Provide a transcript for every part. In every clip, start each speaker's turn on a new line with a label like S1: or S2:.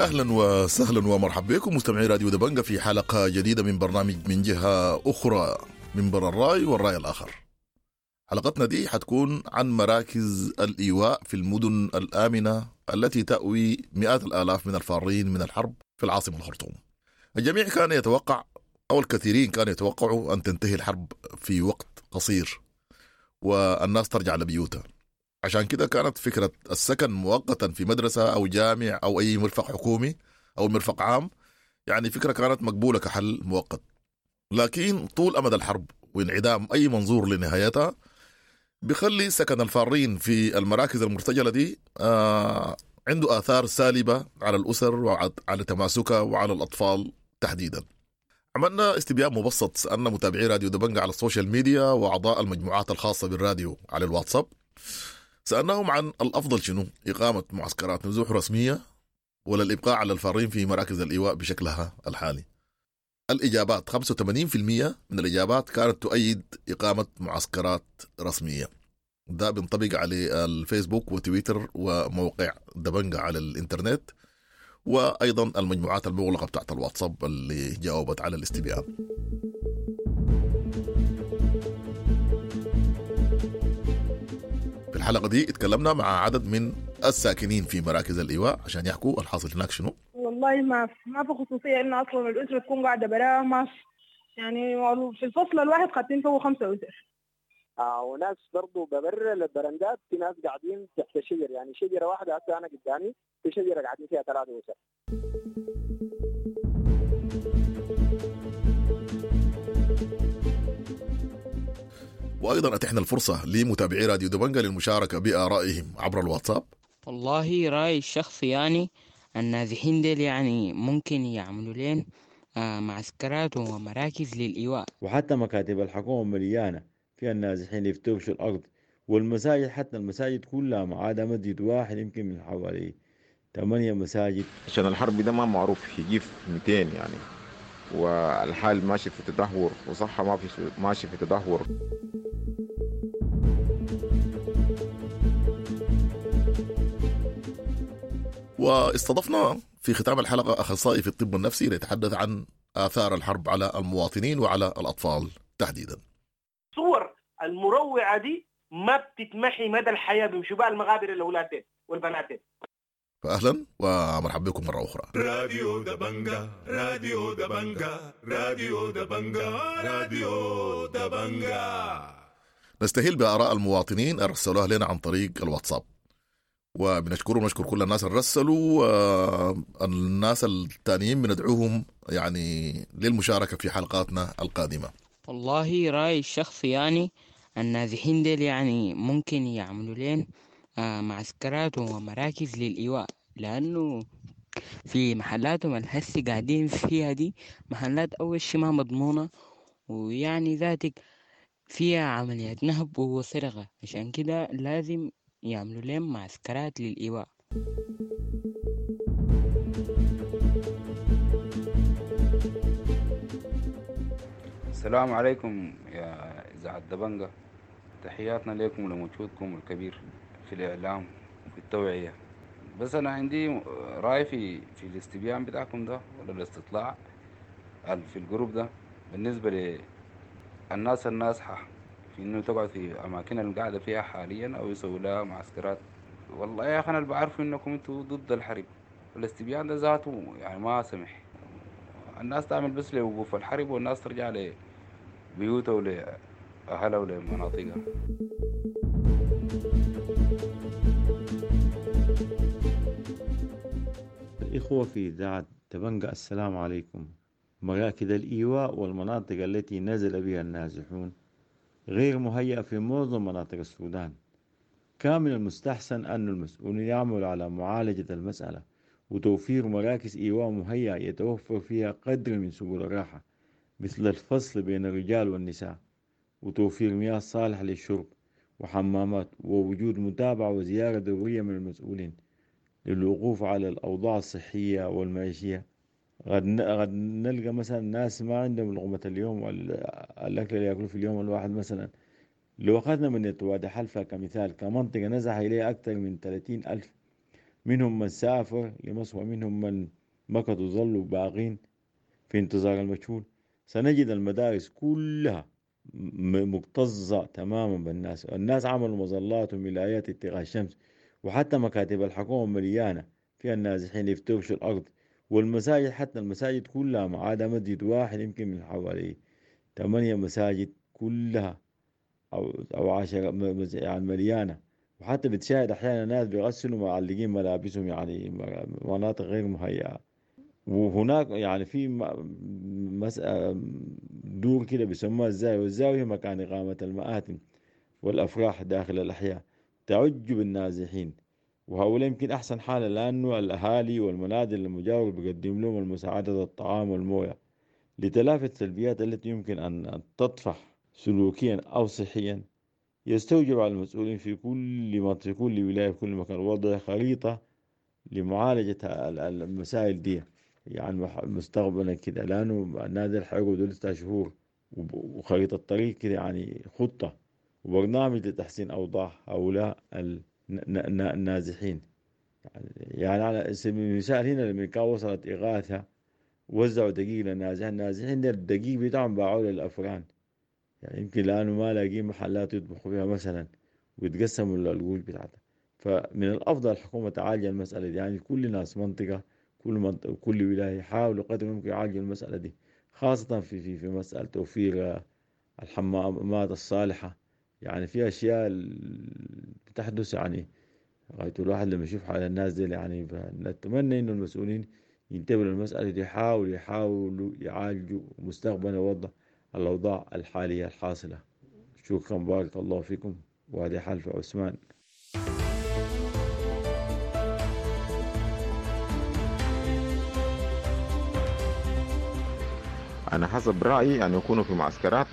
S1: اهلا وسهلا ومرحبا بكم مستمعي راديو دبنجة في حلقة جديدة من برنامج من جهة اخرى، منبر الراي والراي الاخر. حلقتنا دي حتكون عن مراكز الايواء في المدن الامنة التي تأوي مئات الالاف من الفارين من الحرب في العاصمة الخرطوم. الجميع كان يتوقع او الكثيرين كانوا يتوقعوا ان تنتهي الحرب في وقت قصير والناس ترجع لبيوتها. عشان كده كانت فكرة السكن مؤقتا في مدرسة أو جامع أو أي مرفق حكومي أو مرفق عام يعني فكرة كانت مقبولة كحل مؤقت. لكن طول أمد الحرب وانعدام أي منظور لنهايتها بيخلي سكن الفارين في المراكز المرتجلة دي عنده آثار سالبة على الأسر وعلى تماسكها وعلى الأطفال تحديدا. عملنا استبيان مبسط، سألنا متابعي راديو دبنجة على ال social media وأعضاء المجموعات الخاصة بالراديو على الواتساب، سألناهم عن الأفضل شنو، إقامة معسكرات نزوح رسمية ولا الإبقاء على الفارين في مراكز الإيواء بشكلها الحالي. الإجابات 85% من الإجابات كانت تؤيد إقامة معسكرات رسمية. ده بينطبق على الفيسبوك وتويتر وموقع دبنجة على الإنترنت، وأيضا المجموعات المغلقة بتاعت الواتساب اللي جاوبت على الاستبيان. في الحلقة دي اتكلمنا مع عدد من الساكنين في مراكز الإيواء عشان يحكوا الحاصل هناك شنو.
S2: والله ما في خصوصية إنه أصلا الأسرة تكون قاعدة براها، ما في يعني في الفصل الواحد خاطين فوق 5 أسر.
S3: وناس برضو ببر البرندات، في ناس قاعدين تحت الشجر، يعني شجرة واحدة هسه أنا قدامي في شجرة قاعدين فيها 3 أسر.
S1: وأيضا أتحنا الفرصة لمتابعي راديو دبنجة للمشاركة بآرائهم عبر الواتساب.
S4: والله رأي الشخصي يعني النازحين ديل يعني ممكن يعملوا لين معسكرات ومراكز للإيواء،
S5: وحتى مكاتب الحكومة مليانة فيها النازحين يفترشوا الأرض، والمساجد حتى المساجد كلها ما عدا مسجد واحد يمكن من حوالي 8 مساجد.
S6: عشان الحرب ده ما معروف يجي في 200 يعني، والحال ماشي في تدهور، وصحة ما في ماشي في تدهور.
S1: واستضفنا في ختام الحلقة أخصائي في الطب النفسي ليتحدث عن آثار الحرب على المواطنين وعلى الأطفال تحديدا.
S7: صور المروعة دي ما بتتمحي مدى الحياة، بيمشوا بها المغابر الأولاد والبنات.
S1: فأهلا ومرحبا بكم مرة أخرى.
S8: راديو دبنجة، راديو دبنجة، راديو دبنجة، راديو دبنجة.
S1: نستهل بآراء المواطنين أرسلوها لنا عن طريق الواتساب، وبنشكرهم ونشكر كل الناس اللي رسلوا. الناس التانيين بندعوهم يعني للمشاركة في حلقاتنا القادمة.
S4: والله رأي الشخصي يعني النازحين ديل يعني ممكن يعملوا لين معسكرات ومراكز للإيواء، لأنه في محلاتهم الهسي قاعدين فيها دي محلات أول شي ما مضمونة، ويعني ذاتك فيها عمليات نهب وسرقة، عشان كده لازم يعملوا لهم معسكرات للإيواء.
S9: السلام عليكم يا إذاعة دبنجة، تحياتنا لكم ولمجهودكم الكبير في الإعلام وفي التوعية. بس أنا عندي رأي في الاستبيان بتاعكم ده ولا الاستطلاع في الجروب ده بالنسبة للناس النازحة في إنه تقعد في أماكن اللي قاعدة فيها حاليا أو يسووا لها معسكرات. والله يا أخي أنا اللي بعرفه إنكم أنتوا ضد الحرب، والاستبيان ده ذاته يعني ما سمح الناس تعمل بس لوقوف الحرب والناس ترجع لبيوتها ولأهلها ولمناطقها.
S5: الإخوة في إذاعة دبنجة السلام عليكم. مراكز الإيواء والمناطق التي نزل بها النازحون غير مهيئة في معظم مناطق السودان. كان من المستحسن أن المسؤولين يعملوا على معالجة المسألة وتوفير مراكز إيواء مهيئة يتوفر فيها قدر من سبل الراحة مثل الفصل بين الرجال والنساء، وتوفير مياه صالحة للشرب وحمامات، ووجود متابعة وزيارة دورية من المسؤولين للوقوف على الأوضاع الصحية والمعيشية. غد نلقى مثلا ناس ما عندهم لقمة اليوم والأكل اللي يأكلوه في اليوم الواحد. مثلا لو أخذنا من وادي حلفا كمثال كمنطقة نزح إليها أكثر من 30,000 منهم من سافر لمصر ومنهم من مكثوا ظلوا باقين في انتظار المجهول. سنجد المدارس كلها مكتظة تماما بالناس. الناس عملوا مظلات وملايات اتقاء الشمس، وحتى مكاتب الحكومة مليانة فيها النازحين يفترشوا الأرض، والمساجد حتى المساجد كلها ما عدا مسجد واحد يمكن من حوالي 8 مساجد كلها أو 10 يعني مليانة. وحتى بتشاهد أحيانا ناس بيغسلوا معلقين ملابسهم، يعني مناطق غير مهيئة. وهناك يعني في دور كده بيسموها الزاوية، والزاوية مكان إقامة المآتم والأفراح داخل الأحياء، تعج بالنازحين. وهؤلاء يمكن أحسن حالة، لأنه الأهالي والمنازل المجاورة بيقدم لهم المساعدة الطعام والموية لتلافي السلبيات التي يمكن أن تطفح سلوكيا أو صحيا. يستوجب على المسؤولين في كل منطقة، في كل ولاية، في كل مكان وضع خريطة لمعالجة المسائل دي يعني مستقبلا كده، لأنه النادر حيقعدوا 6 شهور، وخريطة الطريق كده يعني خطة وبرنامج لتحسين أوضاع هؤلاء النازحين. يعني على سبيل المثال هنا لما كان وصلت إغاثة وزعوا دقيق للنازحين، النازحين ده الدقيق بتاعهم باعوه للأفران، يعني يمكن لأنه ما لاقين محلات يطبخوا فيها مثلا ويتقسموا القوش بتاعتها. فمن الأفضل الحكومة تعالج المسألة دي، يعني كل ناس منطقة، كل منطقة، كل ولاية يحاولوا قدر الممكن يعالجوا المسألة دي، خاصة في في في مسألة توفير الحمامات الصالحة. يعني في أشياء بتحدث يعني غاية الواحد لما يشوف حال الناس دي، يعني نتمنى إنه المسؤولين ينتبهوا للمسألة دي، يحاولوا يعالجوا مستقبلا وضع الأوضاع الحالية الحاصلة. شكرا، بارك الله فيكم. وهذه حلفة عثمان.
S6: أنا حسب رأيي أن يكونوا في معسكرات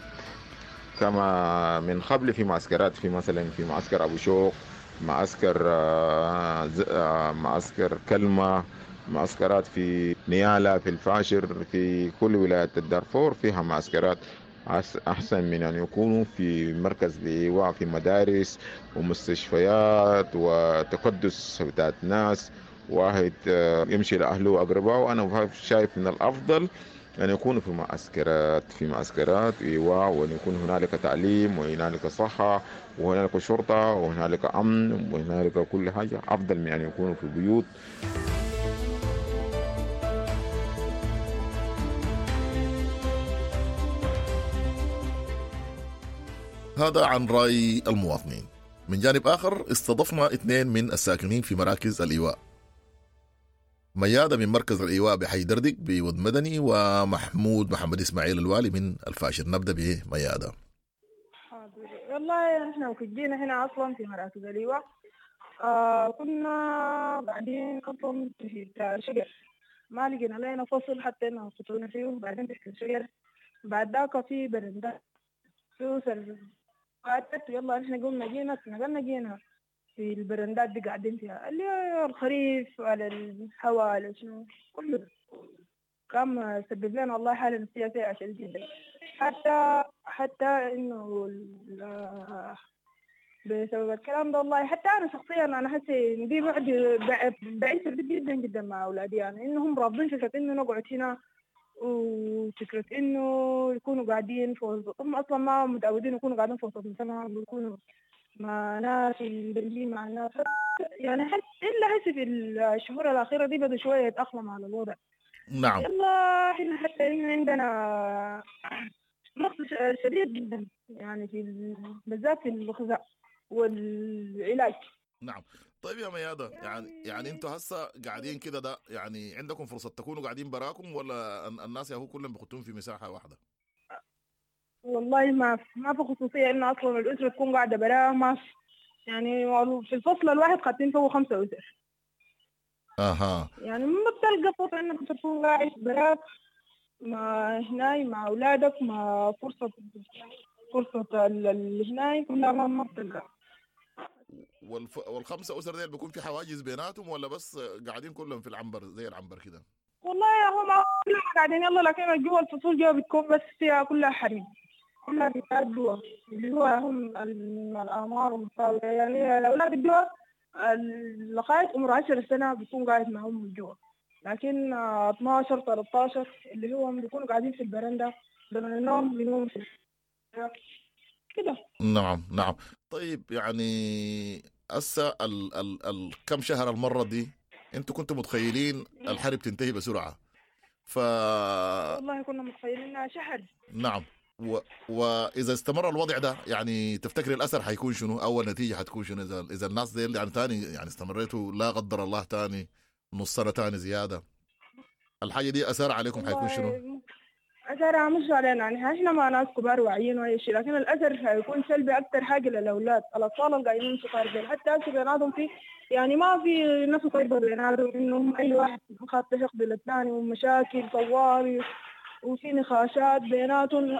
S6: كما من قبل، في معسكرات، في مثلا في معسكر أبو شوق، معسكر معسكر كلمة، معسكرات في نيالا، في الفاشر، في كل ولاية الدارفور فيها معسكرات. أحسن من أن يكونوا في مركز لإيواء في مدارس ومستشفيات وتكدس بتاعت ناس، واحد يمشي لأهله وأقربائه. أنا شايف من الأفضل أن يكونوا في معسكرات، في معسكرات إيواء، وأن يكون هنالك تعليم وهنالك صحة وهنالك شرطة وهنالك أمن وهنالك كل حاجة، أفضل من أن يكونوا في بيوت.
S1: هذا عن رأي المواطنين. من جانب آخر استضفنا 2 من الساكنين في مراكز الإيواء، ميادة من مركز الإيواء بحي دردق بود مدني، ومحمود محمد إسماعيل الوالي من الفاشر. نبدأ بميادة.
S2: حاضر. والله نحن وكجينا هنا أصلا في مراكز الإيواء كنا قاعدين أصلا في شجر، ما لقينا لنا فصل حتى إنه خطونا فيه، بعدين تحت الشجر، بعد ذاك في برندات في قعدت، يلا نحن قمنا جينا نقلنا جينا في البرندات دي قاعدين فيها اللي الخريف على الهواء على شنو كله كان سبب لنا والله حالة نفسية سيئة شديد جدا، حتى إنه بسبب الكلام ده والله حتى أنا شخصيا أنا حاسة إن دي بعد بعيد جدا جدا مع أولادي، يعني إنهم رافضين فكرة إنه نقعد هنا وفكرة إنه يكونوا قاعدين في وسط، هم أصلا ما متعودين يكونوا قاعدين في وسط مجتمع ويكونوا مع ناس مندمجين مع الناس، يعني حس إلا حس في الشهور الأخيرة دي بدأ شوية يتأقلم على الوضع.
S1: نعم.
S2: يلا إحنا حتى إنه عندنا نقص شديد جدا يعني في بالذات في الغذاء والعلاج.
S1: نعم. طيب يا ميادة، يعني انتوا هسه قاعدين كده، ده يعني عندكم فرصة تكونوا قاعدين براكم ولا الناس ياهو كلهم بيحطون في مساحة واحدة؟
S2: والله ما في خصوصية إنه أصلا الأسرة تكون قاعدة براها، ما في، يعني في الفصل الواحد قاعدين فوق 5 أسر.
S1: أها.
S2: يعني ما بتلقى فرصة إنك تكون قاعد براك مع هناي مع أولادك، مع فرصة الهناي كلها ما بتلقى.
S1: والخمسة أسر ديل بيكون في حواجز بيناتهم ولا بس قاعدين كلهم في العنبر زي العنبر كده؟
S2: والله هم كلهم قاعدين يلا، لكن جوا الفصول جوا بتكون بس فيها كلها حريم، كلها بتاعت جوا اللي هو هم الأعمار المتفاوتة، يعني الأولاد جوا لغاية عمر 10 سنة بيكون قاعد مع أمه جوا، لكن 12 13 اللي هو بيكونوا قاعدين في البرندة لما النوم بينوم في كده.
S1: نعم نعم. طيب يعني هسه ال كم شهر المرة دي انتوا كنتوا متخيلين الحرب تنتهي بسرعة؟
S2: والله كنا متخيلين شهر.
S1: نعم. واذا استمر الوضع ده يعني تفتكر الاثر حيكون شنو؟ اول نتيجة حتكون شنو اذا الناس دي يعني تاني يعني استمريتوا لا قدر الله تاني نص سنة تاني زيادة، الحاجة دي اثر عليكم حيكون شنو؟
S2: اثرها مش علينا، يعني احنا ما ناس كبار واعيين واي شيء، لكن الاثر حيكون سلبي اكثر حاجة للاولاد، الاطفال القايمين صغار ديل، حتى هسه بيناتهم في يعني ما في نفس طيبة بيناتهم، انهم اي واحد خاطر يقبل الثاني ومشاكل طوالي وفي نقاشات بيناتهم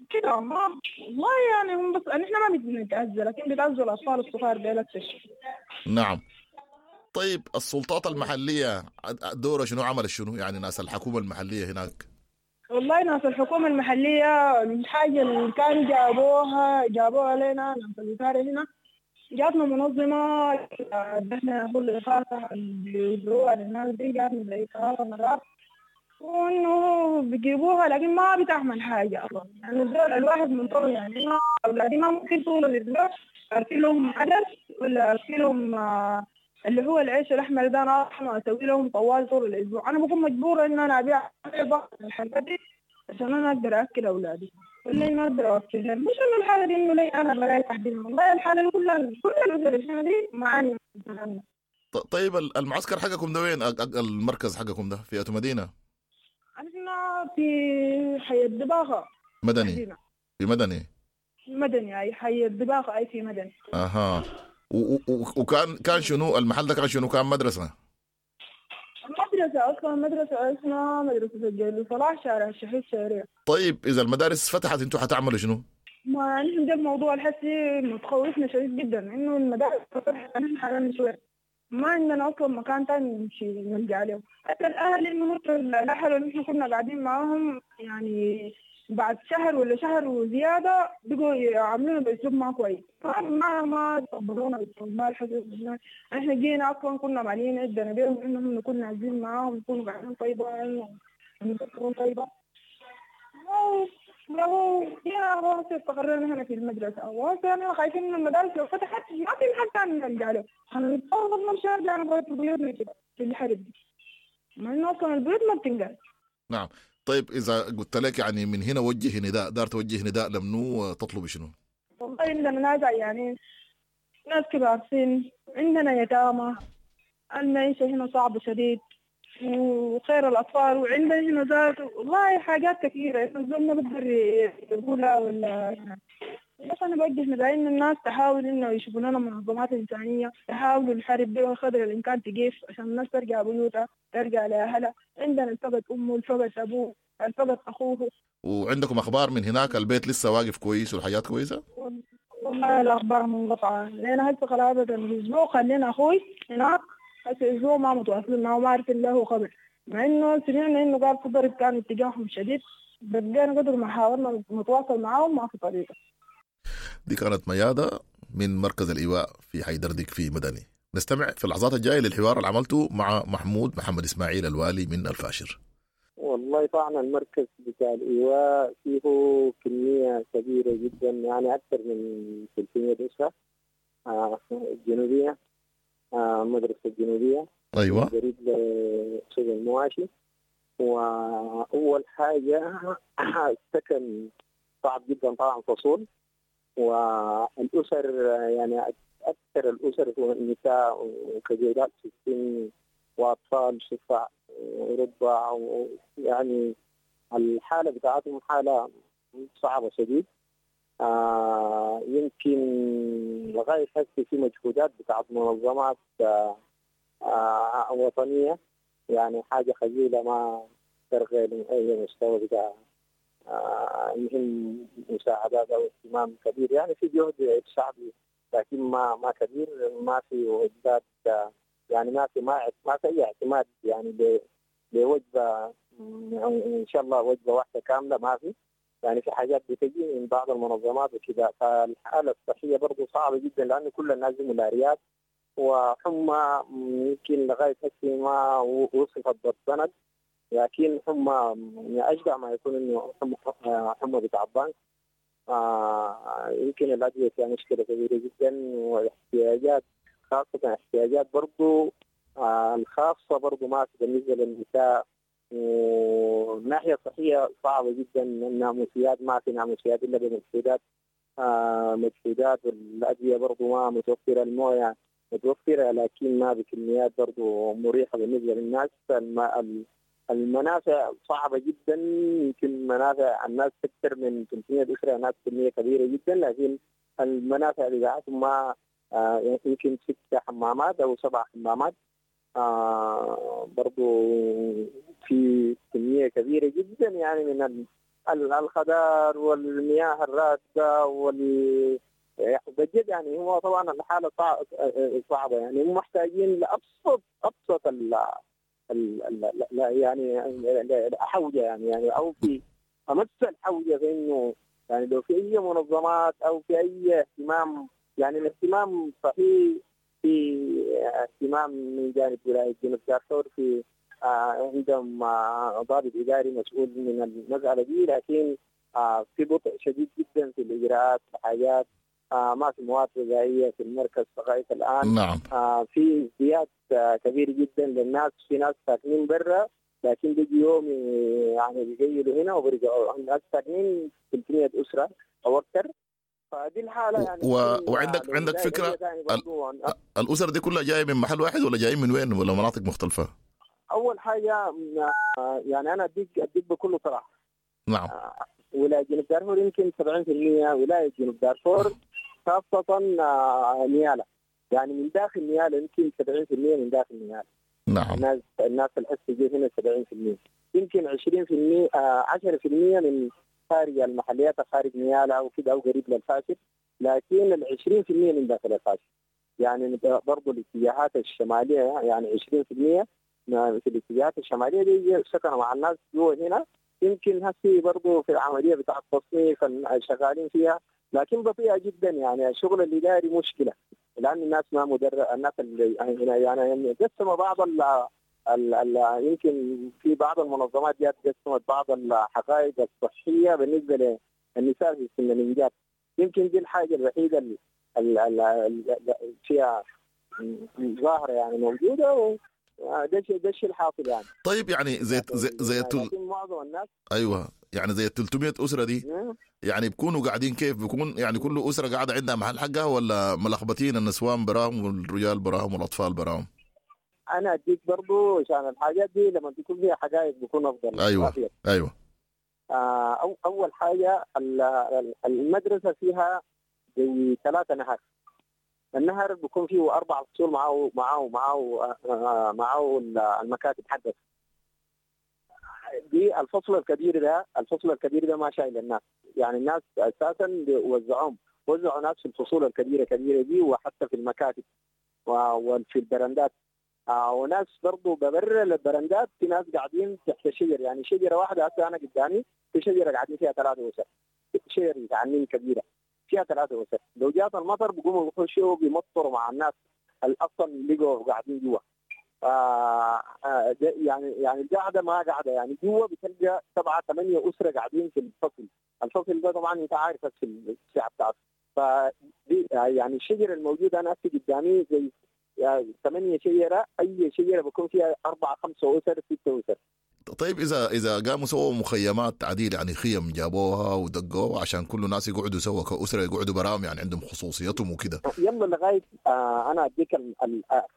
S2: كده. ما والله يعني هم بس نحن ما بنتأذى، لكن بيتأذوا الأطفال الصغار ديل أكثر شيء.
S1: نعم. طيب السلطات المحلية دورها شنو، عمل شنو يعني ناس الحكومة المحلية هناك؟
S2: والله ناس الحكومة المحلية الحاجة اللي كان جابوها لنا ناس الوزارة هنا، جاتنا منظمة نحن هو الإغاثة اللي بيوزعوها للناس دي، جاتنا زي 3 مرات وإنه بيجيبوها، لكن ما بتعمل حاجة أصلا. يعني الواحد منطر، يعني أولادي ما ممكن طول الأسبوع أرسل لهم عدس ولا أرسل لهم اللي هو العيش الأحمر ده، أنا أسوي لهم طوال طول الأسبوع. أنا بكون مجبورة إن أنا أبيع بعض الحاجات دي عشان أنا أقدر أكل أولادي، ولا ما أقدر أكلهم. مش إنه الحالة دي إنه لي أنا بلاقي تحديدا، والله الحالة كلها كل الأسر دي معاني.
S1: طيب المعسكر حقكم ده وين؟ المركز حقكم ده في أتو مدينة؟
S2: احنا في حي الدباغة.
S1: مدني. مدينة. في مدني.
S2: مدني، أي حي الدباغة، أي في مدني.
S1: أها. وكان كان شنو المحل ده؟ كان شنو؟ كان مدرسة.
S2: المدرسة أصلا مدرسة اسمها مدرسة الجليل صلاح، شارع الشهيد شارع.
S1: طيب إذا المدارس فتحت أنتوا حتعملوا شنو؟
S2: ما نحن ده الموضوع الحسي متخوفنا شديد جدا، إنه المدارس فتحت نحن حالنا شوية ما عندنا أصلا مكان تاني نمشي نلجأ له. حتى الأهل إنه الأهل اللي نحن كنا قاعدين معاهم يعني بعد شهر ولا شهر وزيادة بقوا يعاملونا بأسلوب ما كويس، ما تقبلونا ما الحسن. احنا جينا أصلا كنا مالين عندنا بيهم إنهم نكون عايزين معاهم، يكونوا قاعدين طيبة، إنهم طيبة. لو جينا استقرينا هنا في المدرسة، وهسه خايفين من المدارس لو فتحت ما في محل ثاني نرجع له، هنضطر نمشي نرجع لغاية بيوتنا كده في الحرب دي، مع إنه أصلا البيوت ما بتنقل.
S1: نعم. طيب إذا قلت لك يعني من هنا وجه نداء، دار توجه نداء لمنو تطلب شنو؟
S2: والله عندنا ناس يعني ناس كبار سن، عندنا يتامى، المعيشة هنا صعبة شديد، وخير الأطفال، وعندنا هنا ذات والله حاجات كثيرة الزول ما بقدر يقولها ولا. بس أنا بوجه نداء إن الناس تحاول إنه يشوفوا لنا منظمات إنسانية، تحاولوا الحرب دي وقدر الإمكان تقف عشان الناس ترجع بيوتها، ترجع لأهلها. عندنا الفقد أمه، الفقد أبوه، الفقد أخوه.
S1: وعندكم أخبار من هناك؟ البيت لسه واقف كويس والحياة كويسة؟
S2: والله الأخبار منقطعة، لأن هسه قرابة الأسبوع خلينا أخوي هناك، هسه أسبوع ما متواصلين معه، ما عارفين له خبر، مع إنه سمعنا إنه قال في ضرب كان اتجاههم شديد، بقينا قدر ما حاولنا نتواصل معاهم ما في طريقة.
S1: دي كانت ميادة من مركز الإيواء في حي دردك في مدني. نستمع في اللحظات الجاية للحوار اللي عملته مع محمود محمد إسماعيل الوالي من الفاشر.
S3: والله طبعا المركز بتاع الإيواء فيه كمية كبيرة جدا، يعني أكثر من 300 أسرة الجنوبية، مدرسة الجنوبية.
S1: أيوة.
S3: قريب لسوق المواشي. وأول حاجة السكن صعب جدا طبعا، فصول، والأسر يعني أكثر الأسر هو النساء وكبيرات في السن وأطفال شفع وربع، يعني الحالة بتاعتهم حالة صعبة شديد. يمكن لغاية هسه في مجهودات بتاعت منظمات وطنية، يعني حاجة خجولة ما ترغي من أي مستوى بتاع المهم مساعدات أو اهتمام كبير. يعني في جهد شعبي لكن ما كبير، ما في وجبات، يعني ما في أي اعتماد يعني بوجبة إن شاء الله وجبة واحدة كاملة ما في. يعني في حاجات بتجي من بعض المنظمات وكذا. فالحالة الصحية برضو صعبة جدا لأنه كل الناس ملاريات وحمى يمكن لغاية هسه ما وصفت بالضنك، لكن حمى أشبه ما يكون إنه حمى بتاع الضنك. يمكن الأدوية فيها مشكلة كبيرة جدا، واحتياجات خاصة احتياجات برضو الخاصة برضو ما في بالنسبة للنساء. والناحية الصحية صعبة جدا، الناموسيات ما في ناموسيات إلا بمجهودات مجهودات، والأدوية برضو ما متوفرة، الموية متوفرة لكن ما بكميات برضو مريحة بالنسبة للناس. المنافع صعبة جدا، يمكن منافع الناس أكثر من 300 أسرة، ناس كمية كبيرة جدا، لكن المنافع بتاعتهم ما يمكن 6 حمامات أو 7 حمامات، برضو في كمية كبيرة جدا يعني من الخضار والمياه الراكدة بجد يعني هو طبعا الحالة صعبة، يعني هم محتاجين لأبسط أبسط ال يعني حوجة يعني أو في أمس الحوجة في إنه يعني لو في أي منظمات أو في أي اهتمام، يعني الاهتمام صحيح في اهتمام من جانب ولاية جنوب دارفور، في عندهم ضابط إداري مسؤول من المسألة دي، لكن في بطء شديد جدا في الإجراءات، الحاجات ما في مواد غذائية في المركز لغاية الآن.
S1: نعم.
S3: في ازدياد كبير جدا للناس، في ناس ساكنين برا لكن بيجي يوم يعني بيجيلوا هنا وبيرجعوا، الناس ساكنين 300 أسرة أو أكثر. فدي الحالة يعني.
S1: وعندك فكرة الأسر دي كلها جاية من محل واحد ولا جايين من وين ولا مناطق مختلفة؟
S3: أول حاجة يعني أنا أديك بكل صراحة.
S1: نعم.
S3: ولاية جنوب دارفور يمكن 70% ولاية جنوب دارفور، خاصة نيالا، يعني من داخل نيالا يمكن 70% من داخل نيالا.
S1: نعم.
S3: الناس الحس جي هنا 70%، يمكن 20% 10% من خارج المحليات، خارج نيالا أو كده أو قريب للفاشل، لكن ال 20% من داخل الفاشل. يعني برضو الاتجاهات الشمالية، يعني 20% في الاتجاهات الشمالية دي سكنوا مع الناس جوا هنا. يمكن هسي برضو في العملية بتاع التصنيف شغالين فيها، لكن بطيئة جدا. يعني الشغل الإداري مشكلة، لأن الناس ما مدرب، الناس اللي يعني قسموا بعض ال يمكن في بعض المنظمات جات قسمت بعض الحقائق الصحية بالنسبة للنساء في سن الإنجاب. يمكن دي الحاجة الوحيدة اللي فيها ظاهرة يعني موجودة، ده الشيء الحاصل يعني.
S1: طيب يعني زي زي
S3: معظم الناس،
S1: ايوه يعني زي 300 اسره دي يعني بيكونوا قاعدين كيف؟ بيكون يعني كل اسره قاعدة عندها محل حقها ولا ملخبطين النسوان براهم والرجال براهم والاطفال براهم؟
S3: انا اديك برضو عشان الحاجات دي لما تكون فيها حقائق بيكون افضل.
S1: ايوه ايوه.
S3: اول حاجة المدرسة فيها زي 3 نهر. النهر بيكون فيه 4 فصول معه معه معه معه المكاتب حقته. دي الفصل الكبير ده، الفصل الكبير ده ما شايل الناس، يعني الناس اساسا وزعوهم، وزعوا ناس في الفصول الكبيرة كبيرة دي، وحتى في المكاتب وفي البرندات، وناس برضه ببر البرندات، في ناس قاعدين تحت شجر، يعني شجرة واحدة هسه انا قدامي في شجرة قاعدين فيها 3 أسر، شجر متعنين كبيرة فيها 3 أسر، لو جات المطر بيقوموا بيخشوا بيمطروا مع الناس اللي اصلا لقوا قاعدين جوا. يعني القاعدة ما قاعدة، يعني جوا بتلقى 7 8 اسره قاعدين في الفصل، الفصل ده طبعا انت عارف في الساعة بتاعته. فدي يعني الشجرة الموجودة انا هسه قدامي زي يعني 8 شجرة، اي شجرة بيكون فيها 4 5 اسر 6 اسر.
S1: طيب اذا قاموا سووا مخيمات عديل، يعني خيم جابوها ودقوها عشان كل الناس يقعدوا سوا كاسره، يقعدوا براهم يعني عندهم خصوصيتهم وكده.
S3: يلا لغاية انا اديك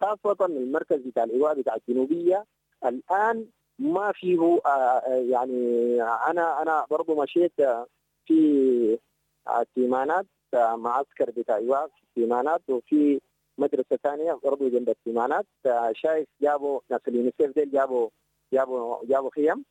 S3: خاصة المركز بتاع الايواء بتاع الجنوبية الان ما فيه يعني انا برضه مشيت في تيمانات، معسكر بتاع ايواء في تيمانات، وفي مدرسه ثانية برضه جنب التيمانات، شايف جابوا ناس اليونيسيف ديل جابوا خيم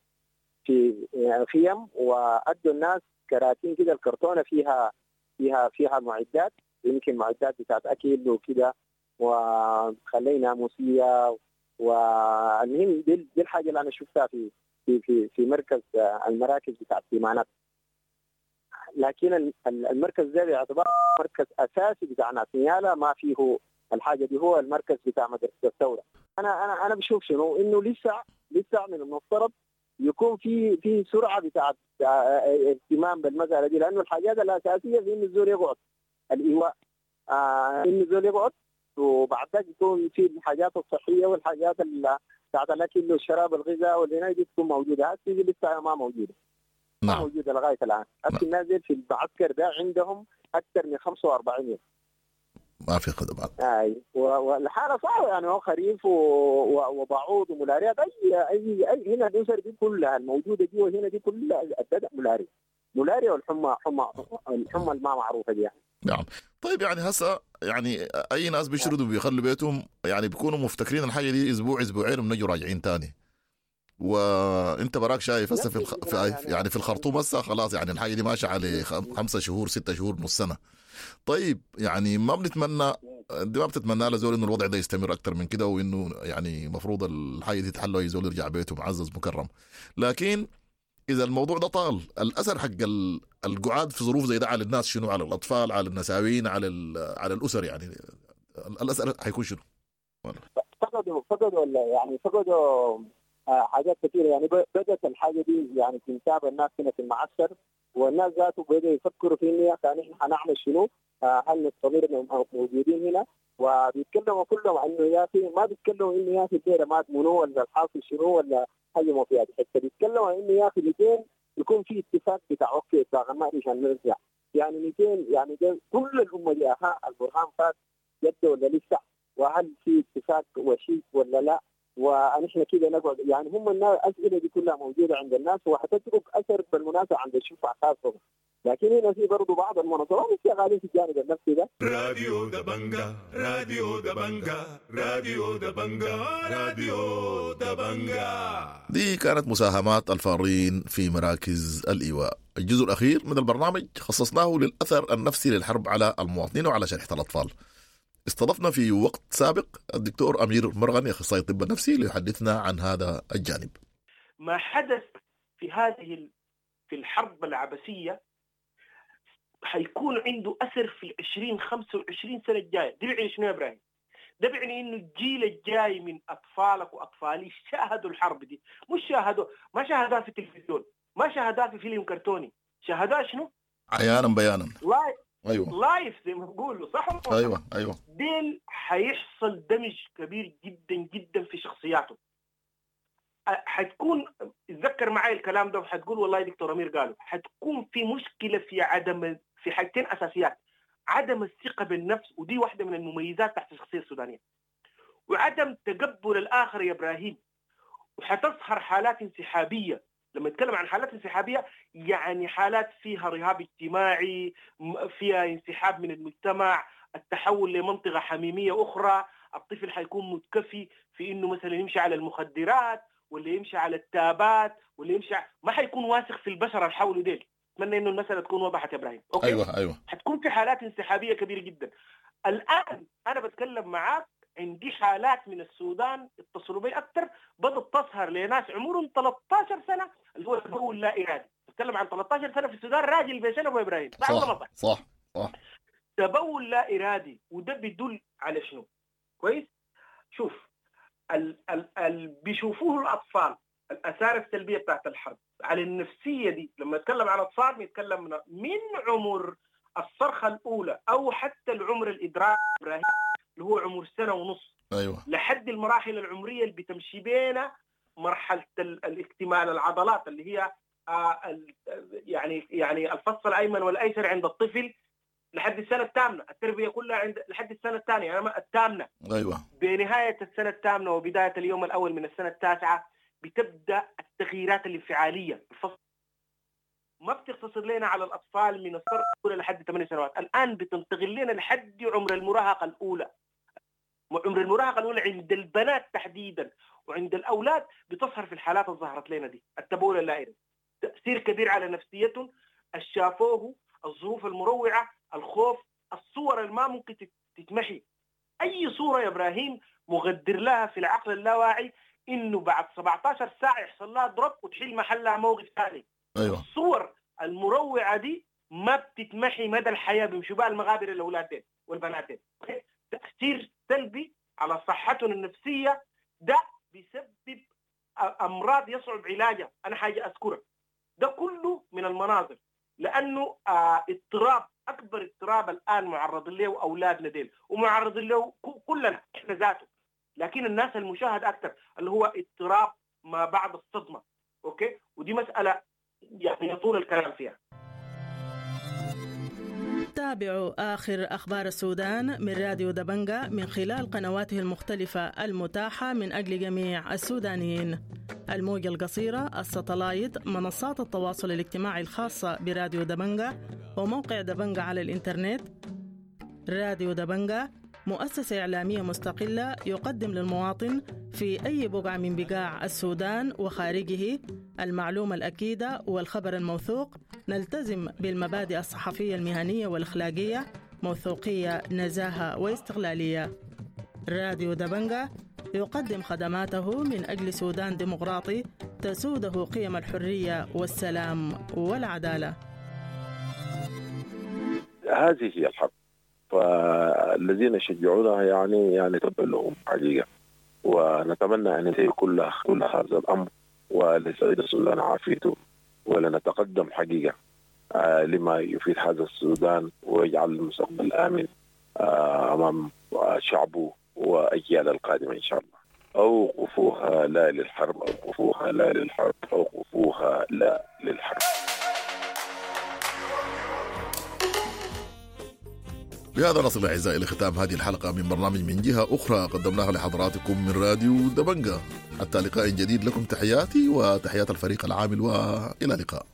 S3: في خيم، وادوا الناس كراتين كده، الكرتونه فيها فيها فيها معدات، يمكن معدات بتاعت اكل وكده، وخلينا ناموسيه. والمهم دي الحاجة اللي انا شفتها في في في في مركز المراكز بتاعت تيمانات. لكن المركز ده باعتبار مركز اساسي بتاع ناس نيالا، ما فيه الحاجة دي هو المركز بتاع مدرسه الثورة. انا بشوف شنو، انه لسه من المفترض يكون في سرعة بتاعت اهتمام بالمسالة دي، لانه الحاجات الاساسية في انه الزول يقعد الايواء، انه الزول يقعد، وبعد ذلك يكون في الحاجات الصحية والحاجات بتاعت الاكل والشراب والغذاء والعناية دي تكون موجودة. هسه دي لسه ما موجودة.
S1: نعم.
S3: ما موجودة لغاية الان. هسه الناس في المعسكر ده عندهم اكثر من 45 يوم
S1: ما في خدمات.
S3: اي والحالة صعبة يعني، هو خريف وبعوض وملاريات، اي اي اي هنا الاسر دي كلها الموجودة جوا هنا دي كلها ابتدأ ملاريا والحمى، الحمى الما معروفة دي يعني.
S1: نعم. طيب يعني هسه يعني اي ناس بيشردوا بيخلوا بيتهم يعني بيكونوا مفتكرين الحاجة دي اسبوع اسبوعين وبنجوا راجعين تاني، وانت براك شايف هسه في يعني في الخرطوم هسه خلاص يعني الحاجة دي ماشية على 5 شهور 6 شهور نص سنة. طيب يعني ما بنتمنى، دي ما بتتمنى لزول انه الوضع ده يستمر اكثر من كده، وانه يعني المفروض الحاجة دي تتحل واي زول يرجع بيته معزز مكرم. لكن اذا الموضوع ده طال، الاثر حق القعاد في ظروف زي ده على الناس شنو؟ على الاطفال، على النساوين، على على الاسر، يعني الاثر حيكون شنو؟
S3: فقدوا يعني فقدوا حاجات كثيرة يعني. بدات الحاجة دي يعني تنتاب الناس هنا في المعسكر، والناس ذاته بدأوا يفكروا في انه يا اخي نحن حنعمل شنو؟ هل نستمر موجودين هنا؟ وبيتكلموا كلهم انه يا اخي، ما بيتكلموا انه يا اخي الديرة مات منو ولا الحاصل شنو ولا حاجة ما فيها حتة، بيتكلموا انه يا اخي 200 يكون في اتفاق بتاع okay اتفاق ما عشان نرجع يعني 200 يعني ده كل الامة دي. اها البرهان فات جده ولا لسه؟ وهل في اتفاق وشيك ولا لا؟ ونحن كده نقعد يعني. هم الاسئلة دي كلها موجودة عند الناس، وحتترك اثر بالمناسبة عند الشفع خاصة. لكن هنا في برضه بعض المنظمات شغالين في الجانب النفسي ده.
S8: راديو دبنجا، راديو دبنجا، راديو دبنجا، راديو دبنجا.
S1: دي كانت مساهمات الفارين في مراكز الإيواء. الجزء الأخير من البرنامج خصصناه للأثر النفسي للحرب على المواطنين وعلى شريحة الأطفال. استضفنا في وقت سابق الدكتور أمير مرغني أخصائي الطب النفسي ليحدثنا عن هذا الجانب.
S7: ما حدث في هذه في الحرب العبثية حيكون عنده أثر في 20-25 سنة الجاية. ده بيعني شنو يا إبراهيم؟ ده بيعني إنه الجيل الجاي من أطفالك وأطفالي شاهدوا الحرب دي، مش شاهدوا، ما شاهدوها في التلفزيون، ما شاهدوها في فيلم كرتوني، شاهدوها شنو؟
S1: عيانا بيانا.
S7: ايوه live زي ما بيقولوا، صح؟
S1: ايوه ايوه.
S7: ديل حيحصل دمج كبير جدا جدا في شخصياته. حتكون، اتذكر معي الكلام ده وحتقول والله دكتور امير قالوا، حتكون في مشكلة في عدم، في حاجتين اساسيات: عدم الثقة بالنفس، ودي واحدة من المميزات تحت الشخصية السودانية، وعدم تقبل الاخر يا ابراهيم. وحتظهر حالات انسحابيه. لما نتكلم عن حالات انسحابيه يعني حالات فيها رهاب اجتماعي، فيها انسحاب من المجتمع، التحول لمنطقه حميمية اخرى، الطفل حيكون متكفي في انه مثلا يمشي على المخدرات ولا يمشي على التابات ولا يمشي، ما حيكون واثق في البشر اللي حوله ديل. اتمنى انه المسالة تكون وضحت يا ابراهيم. okay؟
S1: ايوه ايوه.
S7: حتكون في حالات انسحابيه كبيرة جدا. الان انا بتكلم معاك عندي حالات من السودان اتصلوا بي اكثر، بدأت تظهر لناس عمرهم 13 سنة اللي هو تبول لا ارادي. بتكلم عن 13 سنة في السودان، راجل بسنة ابو ابراهيم.
S1: صح صح صح.
S7: تبول لا ارادي، وده بيدل على شنو؟ كويس؟ شوف ال بيشوفوه الاطفال، الاثار السلبية بتاعت الحرب على النفسية دي. لما اتكلم عن اطفال بنتكلم من عمر الصرخة الاولى او حتى العمر الادراك ابراهيم اللي هو عمر 1.5 سنة،
S1: ايوه،
S7: لحد المراحل العمرية اللي بتمشي بينا مرحلة الاكتمال العضلات اللي هي يعني الفص الايمن والايسر عند الطفل لحد السنة الثامنة، التربية كلها عند لحد السنة الثانية، يعني الثامنة.
S1: ايوه.
S7: بنهاية السنة الثامنة وبداية اليوم الاول من السنة التاسعة بتبدا التغييرات الانفعاليه. الفصل ما بتقتصر لنا على الاطفال من الصرخة الاولى لحد 8 سنوات، الان بتنتقل لنا لحد عمر المراهقة الاولى. عمر المراهقة الاولى عند البنات تحديدا وعند الاولاد بتظهر في الحالات اللي ظهرت لنا دي، التبول اللا ارادي، تاثير كبير على نفسيتهم، الشافوه، الظروف المروعه، الخوف، الصور اللي ما ممكن تتمحي. اي صوره يا ابراهيم مغدر لها في العقل اللاواعي انه بعد 17 ساعة يحصل لها drop وتحل محلها موقف ثاني.
S1: ايوه.
S7: الصور المروعه دي ما بتتمحي مدى الحياة، بيمشوا بها المغابر الاولاد والبنات. تاثير سلبي على صحتهم النفسية. ده بيسبب امراض يصعب علاجها، انا حاجة اذكرها. ده كله من المناظر، لانه اضطراب، اكبر اضطراب الان معرض له اولادنا ديل، ومعرض له كلنا احنا ذاته، لكن الناس المشاهد اكثر اللي هو اضطراب ما بعد الصدمة. okay، ودي مسالة يعني يطول الكلام فيها.
S10: تابعوا آخر أخبار السودان من راديو دبنجة من خلال قنواته المختلفة المتاحة من أجل جميع السودانيين: الموجة القصيرة، الستلايت، منصات التواصل الاجتماعي الخاصة براديو دبنجة، وموقع دبنجة على الإنترنت. راديو دبنجة مؤسسة إعلامية مستقلة يقدم للمواطن في أي بقعة من بقاع السودان وخارجه المعلومة الأكيدة والخبر الموثوق. نلتزم بالمبادئ الصحفية المهنية والأخلاقية، موثوقية، نزاهة واستقلالية. راديو دبنجة يقدم خدماته من أجل سودان ديمقراطي تسوده قيم الحرية والسلام والعدالة.
S11: هذه هي الحرب، فالذين يشجعونها يعني تبا لهم حقيقة، ونتمنى ان ينتهي كل هذا الامر وليستعيد السودان عافيته، ولنتقدم حقيقة لما يفيد هذا السودان ويجعل المستقبل امن امام شعبه واجيال القادمة ان شاء الله. اوقفوها لا للحرب، اوقفوها لا للحرب، اوقفوها لا للحرب.
S1: بهذا نصل أعزائي لختام هذه الحلقة من برنامج من جهة أخرى، قدمناها لحضراتكم من راديو دبنجة. حتى لقاء جديد، لكم تحياتي وتحيات الفريق العامل، وإلى اللقاء.